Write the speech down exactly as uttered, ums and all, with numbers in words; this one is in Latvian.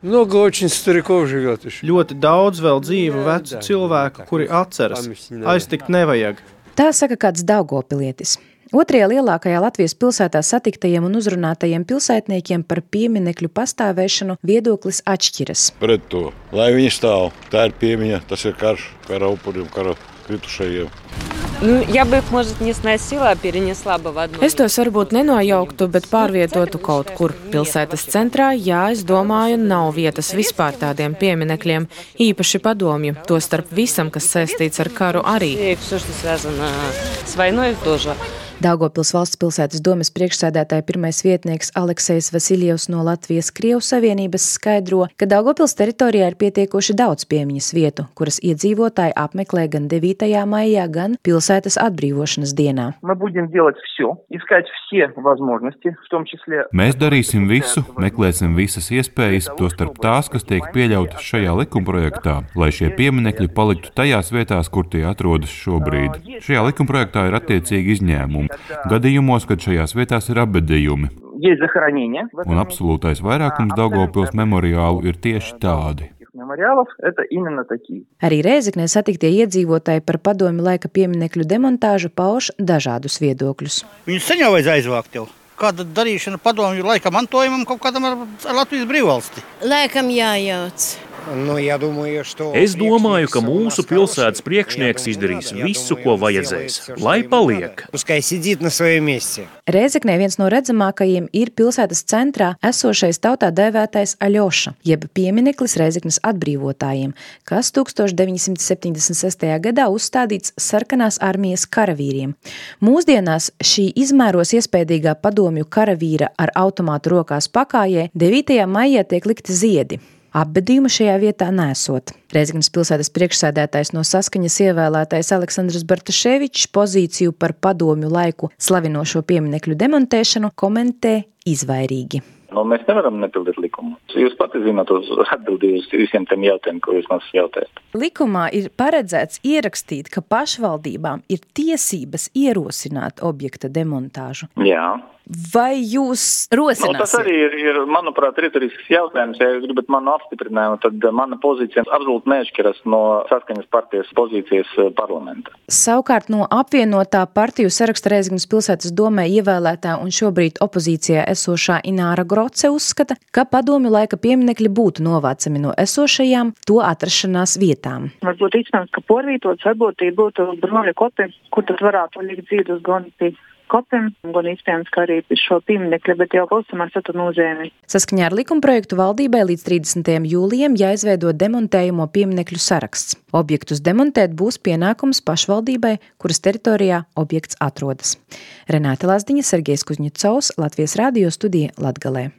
Много очень стариков живет еще. Ļoti daudz vēl dzīvu vecu cilvēku, kuri atceras. Aiztikt nevajag. Tā saka kāds daugavpilietis. Otrajā lielākajā Latvijas pilsētā satiktajiem un uzrunātajiem pilsētniekiem par pieminekļu pastāvēšanu viedoklis atšķiras. Pret to, lai viņi stāv, tā ir piemiņa, tas ir karš, kara upuriem, kara kritušajiem. Nu, ja бы их, может, не сносила, а перенесла бы в одну. Es tos varbūt nenojauktu, bet pārvietotu kaut kur pilsētas centrā. Jā, es domāju, nav vietas vispār tādiem pieminekļiem, īpaši padomju, to starp visam, kas saistīts ar karu arī. Daugavpils valsts pilsētas domes priekšsēdētāja pirmais vietnieks Aleksejs Vasiljevs no Latvijas-Krievu savienības skaidro, ka Daugavpils teritorijā ir pietiekoši daudz piemiņas vietu, kuras iedzīvotāji apmeklē gan devītajā maijā, gan pilsētas atbrīvošanas dienā. Mēs darīsim visu, meklēsim visas iespējas, tostarp tās, kas tiek pieļautas šajā likumprojektā, lai šie pieminekļi paliktu tajās vietās, kur tie atrodas šobrīd. Šajā likumprojektā ir attiecīgi izņēmumi. Gadījumos, kad šajās vietās ir apbedījumi. Un absolūtais vairākums Daugavpils memoriālu ir tieši tādi. Arī Rēzeknē satiktie iedzīvotāji par padomju laika pieminekļu demontāžu pauž dažādus viedokļus. Viņus sen jau vajadz aizvākt jau. Kāda darīšana padomju laika mantojumam kaut kādam ar Latvijas brīvvalsti? Laikam jājauc. Es domāju, ka mūsu pilsētas priekšnieks izdarīs visu, ko vajadzēs, lai paliek. Rēzeknē viens no redzamākajiem ir pilsētas centrā esošais tautā dēvētais Aļoša, jeb piemineklis Rēzeknes atbrīvotājiem, kas tūkstoš deviņi simti septiņdesmit sestajā gadā uzstādīts sarkanās armijas karavīriem. Mūsdienās šī izmēros iespējīgā padomju karavīra ar automātu rokās pakājē devītajā maijā tiek likti ziedi. Apbedījuma šajā vietā nesot. Rēzeknes pilsētas priekšsēdētājs no Saskaņas ievēlētais Aleksandrs Bartaševičs pozīciju par padomju laiku slavinošo pieminekļu demontēšanu komentē izvairīgi. No, mēs nevaram nepildīt likumu. Jūs pati zināt uz atbildības visiem tiem jautājumiem, ko jūs mums jautājat. Likumā ir paredzēts ierakstīt, ka pašvaldībām ir tiesības ierosināt objekta demontāžu. Jā. Vai jūs rosināsiet? No, tas arī ir, ir, manuprāt, retorisks jautājums. Ja jūs gribat manu apstiprinājumu, tad mana pozīcija absolūti neatšķiras no Saskaņas partijas pozīcijas parlamentā. Savukārt no apvienotā partiju saraksta Rēzeknes pilsētas domē ievēlētā un šobrīd opozīcijā esošā Ināra Groce uzskata, ka padomju laika pieminekļi būtu novācami no esošajām to atrašanās vietām. Varbūt iespējams, ka porvītots varbūt būtu bruņu kopi, kur tad varētu likt dzīvus gan pie kopiem, gan iespējams, ka arī šo pieminekļu, bet jau pavisam ar citu nozīmi. Saskaņā ar likumprojektu valdībai līdz trīsdesmitajam jūlijam jāizveido demontējumo pieminekļu saraksts. Objektus demontēt būs pienākums pašvaldībai, kuras teritorijā objekts atrodas. Renāte Lazdiņa, Sergejs Kuzņecovs, Latvijas radio studija Latgalē.